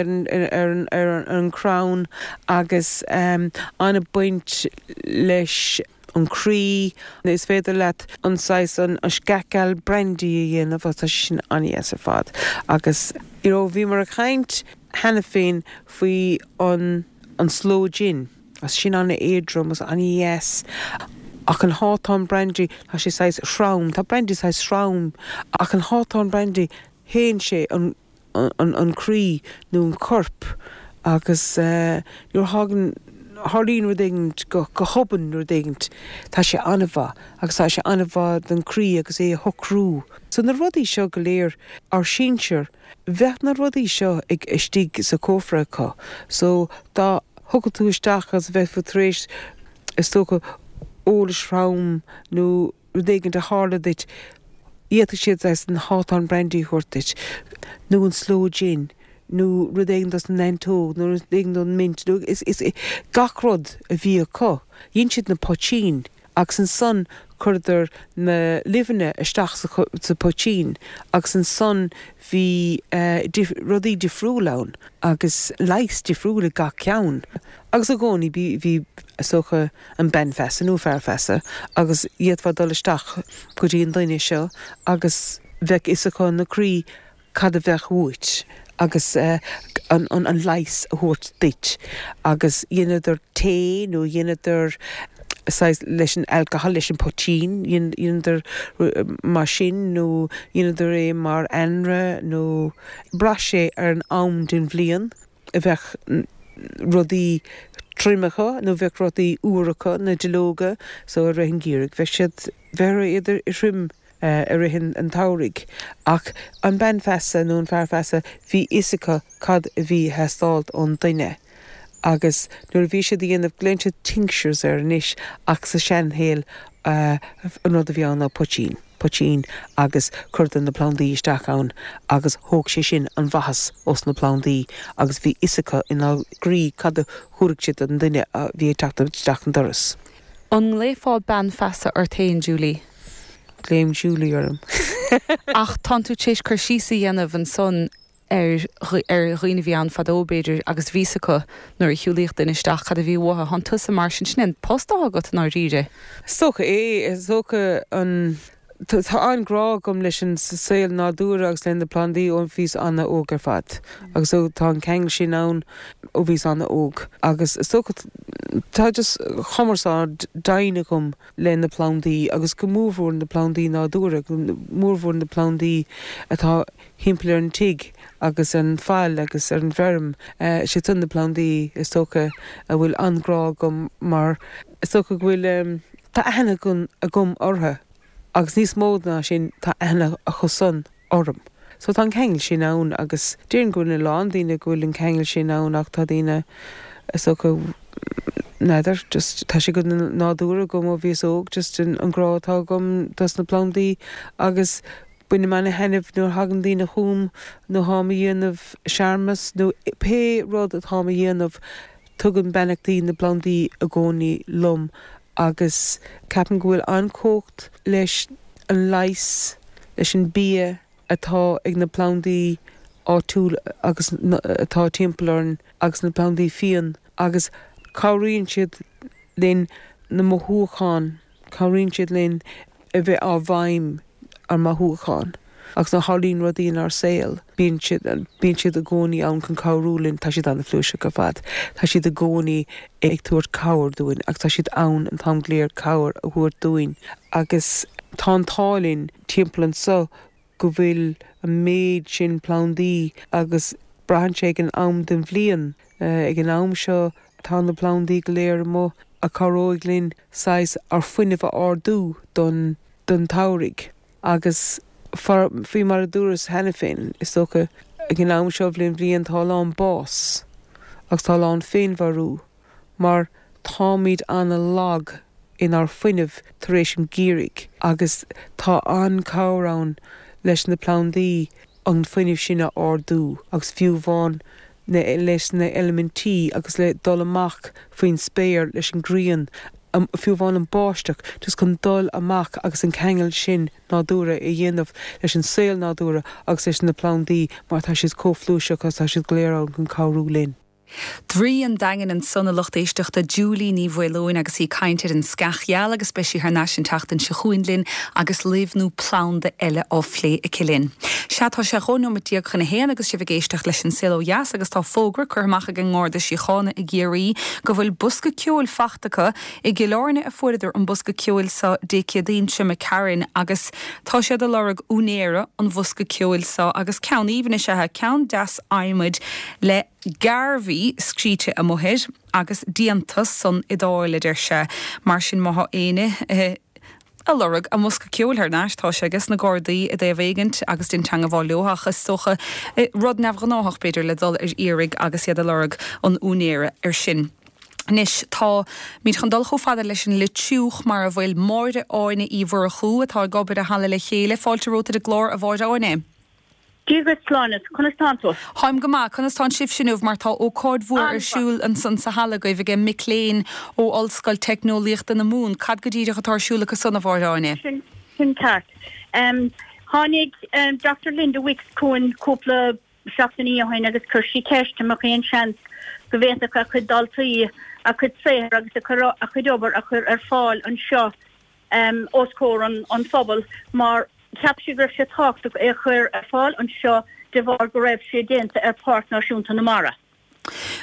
ar an chrann agus an-baint leis an chroí. Is féidir leat an saghas an sceach gheal brandy a dhéanamh agus tá sé sin an-dheas ar fad. Agus you know bhíomar ag caint cheana féin faoi an an sloe gin. Agus sin an-éadrom agus an-dheas. Ach an hawthorn brandy, tá sé saghas trom, tá brandy saghas trom, ach an hawthorn brandy, théann sé an, an, an croí nó an corp agus nuair a thagann, tharlaíonn rud éigin go, go hobann rud éigin, tá sé an-mhaith agus tá sé an-mhaith don chroí agus é a shocrú. So na rudaí seo go léir, ár sinsir, Bheadh na rudaí seo ag istigh sa cófra acu so dá thiocfadh tú isteach agus bheifeá tar éis, is dócha, eolais throm nó rud éigin a tharla duit, d'fhéadfadh siad saghas an hawthorn brandy a thabhairt duit nó an sloe gin nó rud éigin dos na neantóg nó rud éigin don mint nó is, is, gach rud a bhí acu. Dhein siad na poitín. Agus ansan chuireadar na luibheanna isteach sa poitín agus ansan bhí rudaí difriúil ann agus leigheas difriúil ag gach ceann. Agus i gcónaí bhí, bhí, is dócha, an bean feasa nó fear feasa agus d'fhéadfá dul isteach go dtí an duine seo agus bheadh fhios acu ina gcroí cad a bheadh uait agus an leigheas a thabhairt duit agus dheineadar tae nó dheineadar saghas leis an alcohol, leis an poitín, dheineadar mar sin nó dheineadar é mar anraith nó bhraith sé ar an am den bhliain a bheadh rudaí tirim acu nó bheadh rudaí úr acu, na duilleoga so i rith an gheimhridh bheadh siad, bheadh iad thirim. i rith an tsamhraidh. Ach an bean feasa nó an fear feasa, bhí fhios acu cad a bhí ag teastáilt ón duine. Agus nuair a bhí siad a dhéanamh, glaonn siad tinctures air anois ach sa seanshaol an rud a bhí ann ná poitín, poitín agus chuireadar na plandaí isteach ann agus thóg sé sin an mhaitheas ós na plandaí agus bhí fhios acu ina gcroí cad a thabharfadh siad don duine a bhí ag teacht isteach an doras. An nglaofá bean feasa ort féin, Julie? Glaoim Julie orm. Ach tánn tú tar éis cur síos a dhéanamh ansan ar ar dhaoine a bhí ann fadó, b'fhéidir, agus bhí 'fhios acu nuair a shiúlaíodh duine isteach cad a bhí uathu. Tánn tusa mar sin, sin é an post atá agat i ndáiríre. Is dócha é. Is dócha an. Tá an-ghrá agam leis an saol nádúrtha agus le na plandaí ó bhíos an-óg ar fad agus tá an ceangal sin ann ó bhíos an-óg agus is dócha tá just cumarsáid daingean agam le na plandaí agus go mórmhór na plandaí nádúrtha, go mórmhór na plandaí atá thimpeall ar an tigh agus an faill agus ar an bhfeirm. Siad san na plandaí is dócha a bhfuil an-ghrá agam mar is dócha go bhfuil, tá aithne agam orthu agus níos mó ná sin tá aithne acu san orm. So tá an ceangal sin ann agus déarfainn go bhfuil a lán daoine go bhfuil an ceangal sin ann ach tá daoine is dócha n'fheadar just tá sé go nádúrtha agam ó bhíos óg just an grá atá agam dos na plandaí agus Bainim ana-thaitneamh nuair a thagann daoine chugam nó táim a dhéanamh searmanas nó pé rud atáim a dhéanamh, tugaim beannachtaí na bplandaí i gcónaí liom agus ceapaim go bhfuil an-chumhacht leis an leigheas, leis an bia atá ag na plandaí áitiúil agus atá timpeall orainn agus na plandaí fiáin agus cabhraíonn siad linn na mothúcháin. Cabhraíonn siad linn a bheith ár bhfeidhm ár mothúcháin agus nuair a tharlaíonn rudaí inár saol, bíonn siad, bíonn siad i gcónaí ann chun cabhrú linn. Tá siad an-phluaiseach ar fad. Tá siad i gcónaí ag tabhairt cabhair dúinn agus tá siad ann an t-am go léir cabhair a thabhairt dúinn agus tá an t-ádh linn timpeall anso go bhfuil an méid sin plandaí agus braitheann sé ag an am den bhliain. Ag an am seo tá na plandaí go léir amuigh a cabhróidh linn saghas ár fuinneamh a ardú don don tsamhraidh agus faoi mar a dúras cheana féin is dócha ag an am seo den bhliain tá a lán bás agus tá a lán féinmharú. mar táimid an-lag inár fuinneamh tar éis an gheimhridh agus tá an-chabhair ann leis na plandaí an fuinneamh sin a ardú agus fiú amháin leis na heilimintí agus le dul amach faoin spéir leis an ghrian, fiú amháin an báisteach, just chun dul amach agus an ceangal sin nádúrtha a dhéanamh leis an saol nádúrtha agus leis na plandaí mar tá siad chomh flúirseach agus tá siad go léir ann chun cabhrú linn. Draoi an Daingin ansan, a lucht éisteachta, Julie Ní Mhaoileoin agus í ag caint ar an sceach gheal agus beidh sí thar n-ais an tseachtain seo chugainn linn agus luibh nó planda eile á phlé aici linn. Sea, tá sé 12 nóimeat chun a haon agus sibh ag éisteacht leis An Saol Ó Dheas agus tá fógra curtha amach ag an nGarda Síochána i gCiarraí go bhfuil bosca ceoil fachta acu I gCill Airne a fuaireadar an bosca ceoil seo Dé Céadaoin seo imigh tharainn agus tá siad ag lorg úinéara an bhosca ceoil seo agus ceann aoibhinn is ea é, ceann deas adhmaid le Garvey scríte amuigh air agus déanta san Iodáil a deir sé. Mar sin má thá éinne ag lorg a mbosca ceoil thar n-ais tá sé ages na Gardaí i dtaobh éigint agus déan teangabháil leo ach is dócha rud neamhghnáthach b'fhéidir le dul ar iarraidh agus iad ag lorg an úinéara ar sin. Anois, tá muid chun dul chomh fada leis an Leitriúch, mar a bhfuil Máire Áine Uí Mhurchú, atá ag obair i Halla Le Chéile. Fáilte romhat ar an gclár, a Mháire Áine. Dia dhuit, Sláine, conas tánn tú? Táim go maith. Conas tánn sibhse inniu, mar tá ócáid mhór ar siúl ansan sa halla agaibh age mic léinn ó Ollscoil Teicneolaíochta na Mumhan. Cad go díreach atá ar siúl acu san, a Mháire Áine? Sin ceart. Tháinig Doctor Linda Wicks chugainn cúpla seachtainí ó shin agus chuir sí ceist an mbeadh aon seans go bhféadfadh a cuid daltaí a cuid saothair agus a cuid obair a chur ar fáil anseo os comhair an phobail mar cheap sí go raibh sé tábhachtach é a chur ar fáil anseo de bharr go raibh sé déanta ar Pháirc Náisiúnta na Mara.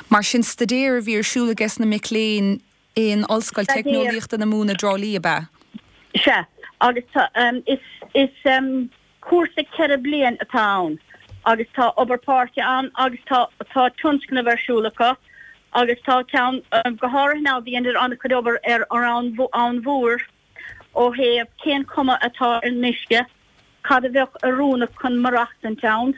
Mar sin, staidéar a bhí ar siúl ages na mic léinn in Ollscoil Teicneolaíochta na Mumhan i dTrá Lí, ab ea? Sea, agus is is Cúrsa 4 bliain atá ann agus tá obair páirce ann agus tá tá tionscnamh ar siúl acu agus tá ceann go háirithe now dheineadar an-chuid obair ar an Abhainn Mhór ó thaobh cén cuma atá ar an uisce, cad a bheadh oiriúnach chun maireachtaint ann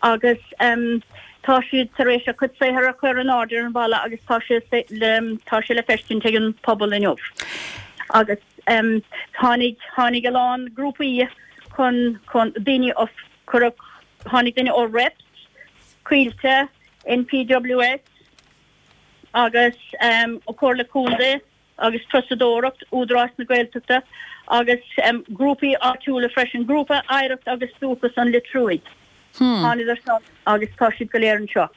agus tá siad tar éis a cuid saothair a chur in airde ar an bhalla agus tá sé tá sé le feiscint ag an pobal inniu agus Tháinig, tháinig a lán grúpaí chun, chun, daoine ó, cuireadh, tháinig daoine ó Reps, Coillte, NPWS agus Comhairle Contae agus Turasóireacht, Údarás na Gaeltachta agus grúpaí áitiúla freisin, Grúpa Oidhreacht agus Dúchas an Leitriúigh. Thánadar san agus tá siad go léir anseo.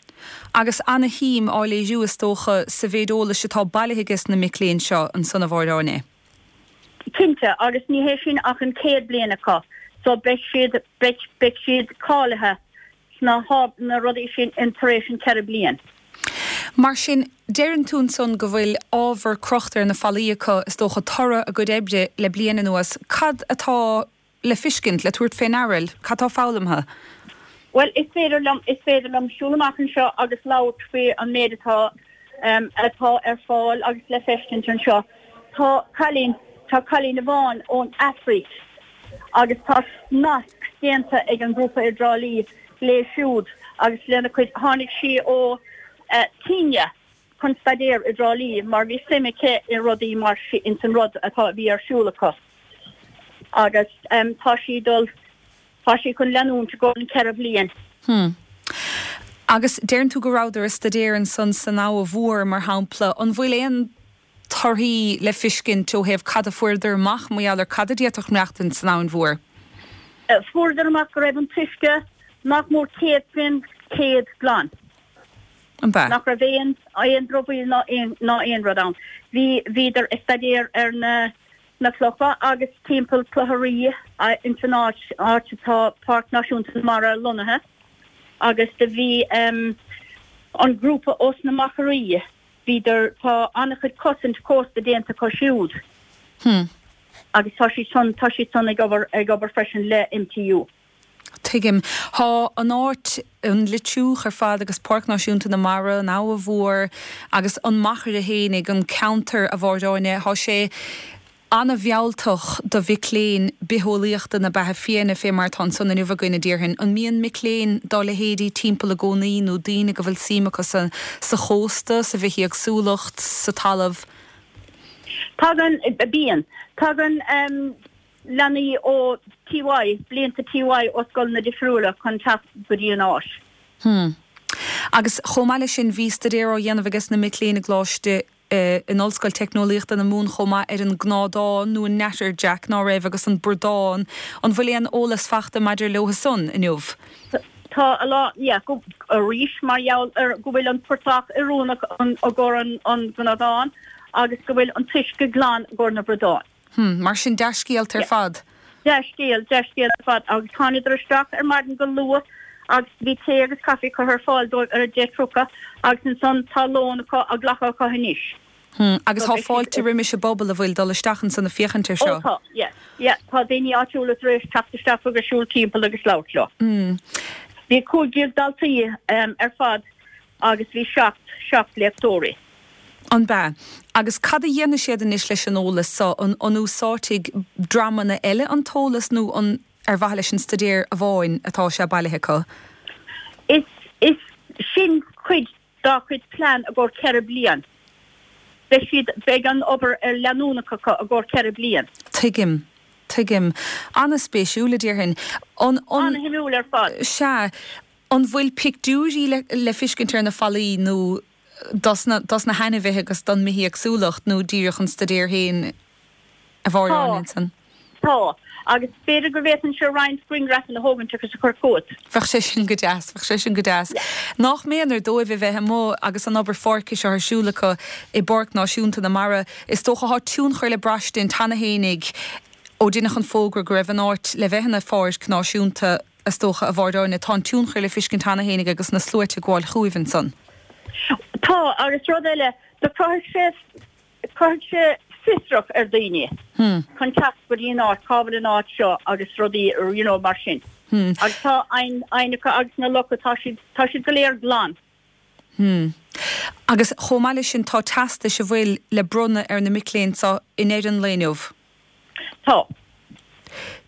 Agus ana-shuim á léiriú, is dócha, sa mhéid eolais atá bailithe ages na mic léinn seo ansan, a Mháire Áine. Cinnte, agus ní hé sin ach an chéad bliain acu, so beidh siad, beidh, beidh siad cáilithe sna na rudaí sin in tar éis an 4 bliain. Mar sin, deireann tú ansan go bhfuil ábhar crochta ar na fallaí acu, is dócha, toradh a gcuid oibre le bliain anuas. Cad atá le fiscint, le tabhairt fé ndeara? Cad tá foghlamtha? Bhuel, is féidir liom, is féidir liom siúl amach anseo agus labhairt faoi an méid atá, atá ar fáil agus le feiscint anseo. Tá cailín, tá cailín amháin ón Afraic agus tá nasc déanta ag an ngrúpa i dTrá Lí léi siúd agus lena cuid, tháinig sí ó Kenya chun staidéar i dTrá Lí mar bhí suim aici i rudaí mar sin, ins an rud atá, a bhí ar siúl acu agus tá sí dul, tá sí chun leanúint i gcomhair an 4 bhliain. Hmm. Agus deireann tú go rabhadar ag staidéar ansan san Abha Mhór, mar shampla. An bhfuil aon torthaí le fiscint ó thaobh cad a fuaireadar amach mar gheall ar cad a d'fhéadfadh maireachtaint san Abhainn Mhór? Fuaireadar amach go raibh an t-uisce nach mór 100% glan. An b'ea? Nach raibh aon aon dramhaíl ná aon ná aon rud ann. Bhí bhíodar ag staidéar ar na na clocha agus timpeall Cloich a' Rí ins an áit áit atá Páirc Náisiúnta na Mara lonnaithe agus do bhí an grúpa ós na Machairí Bhíodar, tá an-chuid cosaint cósta déanta acu siúd. Hmm. Agus tá siad san, tá siad san ag obair, ag obair freisin le MTU. Tuigim. Tá an áit, an Leitriúch ar fad agus Páirc Náisiúnta na Mara, an Abha Mhór agus an Machaire fhéinig, an ceantar, a Mháire Áine, tá sé an-mhealltach do mhic léinn bitheolaíochta na beatha fiáine, fé mar atá ansan inniu againn, a déarfainn. An mbíonn mic léinn dá leithéidí timpeall i gcónaí nó daoine go bhfuil suim acu sa sa chósta, sa bhithéagsúlacht, sa talamh? Tagann, bíonn. Tagann leanaí ó TY, blianta TY ó scoileanna difriúla chun teacht go dtí an áit. Hmm. Agus chomh maith leis sin, bhí staidéar á dhéanamh ages na mic léinn i gColáiste in Ollscoil Teicneolaíochta na Mumhan chomh maith ar an ngnádán nó an natterjack, ná raibh, agus an bradán. An bhfuil aon eolas fachta maidir leo san inniu? Tá a lán, yeah, go, arís mar gheall ar go bhfuil an portach oiriúnach i gcomhair an ghnádán agus go bhfuil an t-uisce glan i gcomhair na bradán. Hm, mar sin dea-scéalta ar fad. Dea-scéal, dea-scéal ar fad. Agus thánadar isteach ar maidin go luath agus bhí tae agus caife curtha ar fáil dóibh ar 10:30 agus ansan tá lón acu á ghlacadh acu anois. Hm, agus tá fáilte roimis an bpobal a bhfuil dul isteach ansan ag féachaint ar seo. Ó tá, yeah, yeah, tá daoine áitiúla tar éis teacht isteach agus siúl timpeall agus labhairt leo. Hm. Bhí 15 daltaí ar fad agus bhí 7, 7 léachtóirí. An b'ea? Agus cad a dhéanfaidh siad anois leis an eolas so? An an úsáidfidh dreamanna eile an t-eolas nó an ar mhaithe leis an staidéar amháin atá sé bailithe acu? Is is sin cuid dá chuid plean i gcomhair 4 bliain. Beidh siad beidh an obair ar leanúnach acu i gcomhair 4 bliain. Tuigim. Tuigim. An-spéisiúil, a déarfainn. An an. An-shuimiúil ar fad. Sea. An bhfuil pictiúirí le le fiscint ar na fallaí nó dos na, dos na hainmhithe agus don mbithéagsúlacht nó díreach an staidéar féin a Mháire Tá. ansan? Tá. Agus b'fhéidir go bhféadfainnse roinnt grianghrafanna a thógaint agus a chur chugat. Bheadh sé sin go deas, bheadh sé sin go deas. Nach méanar dóibh a bheith amuigh agus an obair pháirce seo ar siúl acu i bPáirc Náisiúnta na Mara. Is dócha thá tionchar le braistint cheana fhéinig ó deineadh an fógra go raibh an áit le bheith ina pháirc náisiúnta. Is dócha, a Mháire Áine, tá an tionchar le fiscint cheana fhéinig agus na sluaite ag gabháil chugaibh ansan. Tá, agus rud eile, do chruthaigh sé, chruthaigh sé fiosrach ar daoine chun teacht go dtí an áit, cá bhfuil an áit seo agus rudaí, you know, mar sin. Agus tá aibhneacha agus na locha, tá siad, tá siad go léir glan. Hmm. Agus chomh maith leis sin tá teastais a bhfuil le bronnadh ar na mic léinn seo i ndeireadh an lae inniu. Tá.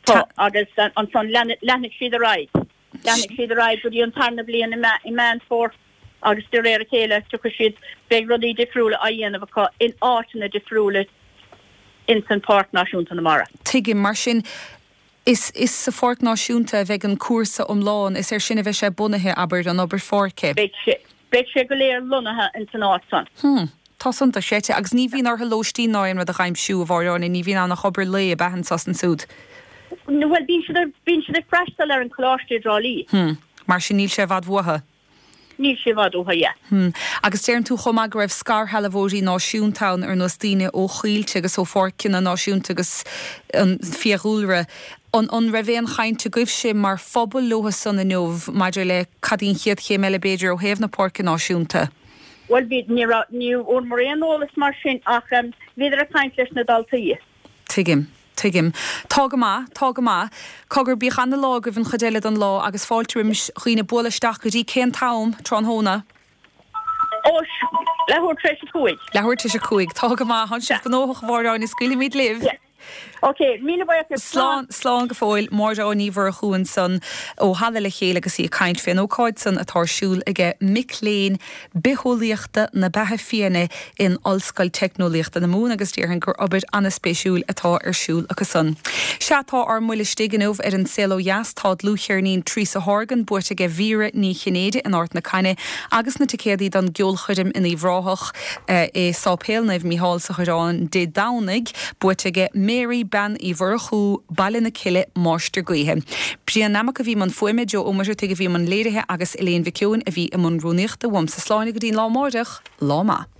Tá. Agus ansan leanfaidh siad ar aghaidh. Leanfaidh siad ar aghaidh go dtí an tarna bliain i Meán Fómhair agus de réir a chéile tiocfaidh siad, beidh rudaí difriúla á dhéanamh acu in áiteanna difriúla ins an Páirc Náisiúnta na Mara. Tuigim. Mar sin Is is sa Pháirc Náisiúnta a bheidh an cúrsa iomlán, is air sin a bheidh sé bunaithe, abair, an obair pháirce. Beidh sé, beidh sé go léir lonnaithe ins an áit san. Hm. Tá san dochreidte. Agus ní bhíonn orthu lóistín ná aon rud a dh'aimsiú, a Mháire Áine, ní bhíonn ann ach obair lae, ab ea, anso is ansúd? Bhuel, bíonn siad ar, bíonn siad ag freastal ar an choláiste i dTrá Lí. Hm. Mar sin níl sé i bhfad uathu. Níl sé i bhfad uathu, yeah. Hm. Agus deireann tú chomh maith go raibh scairshealbhóirí náisiúnta ann, ar nós daoine ó Choillte agus ó pháirceanna náisiúnta agus an fiadhúlra. An an raibh aon chaint agaibhse mar phobal leotha san inniu maidir le cad í an chéad chéim eile b'fhéidir ó thaobh na páirce náisiúnta? Bhuel bhí, ní raibh, ní bhfuaireamar aon eolas mar sin ach bhíodar ag caint leis na daltaí. Tuigim. Tuigim. Tá go maith, tá go maith. Cogar, bíodh ana-lá agaibh an chuid eile den lá agus fáilte roimis dhaoine bualadh isteach go dtí cén t-am, tráthnóna? Ó, leathuair tar éis a cúig. Leathuair tar éis a cúig. Tá go maith. Tánn sibh gnóthach, a Mháire Áine, scaoilfimid libh. Yeah. Ok, míle buíochas. Slán, slán go fóill. Máire Áine Ní Mhurchú ansan ó Halla Le Chéile agus í ag caint fén ócáid san atá ar siúl aige mic léinn Bitheolaíochta na Beatha Fiáine in Ollscoil Teicneolaíochta na Mumhan agus déarfainn gur obair an-spéisiúil atá ar siúl acu san. Sea, tá ár mbuille istigh inniu ar An Saol Ó Dheas, tá dlúthcheirnín Teresa Horgan buaite aige Vera Ní Chinnéide in Ard na Caithne agus na ticéadaí don gceolchoirm in Uíbh Ráthach i Sáipéal Naomh Mícheál sa Choireán Dé Domhnaigh buaite aige Mary Bean Uí Mhurchú, Baile na Cille, Máistir Gaoithe. Brian Nammock a bhí i mbun fuaime, Joe Ó Muircheartaigh a bhí i mbun léirithe agus Elaine Mhic Eoin a bhí i mbun rúnaíochta. Uaimse slán go dtí an lá amáireach, lá maith.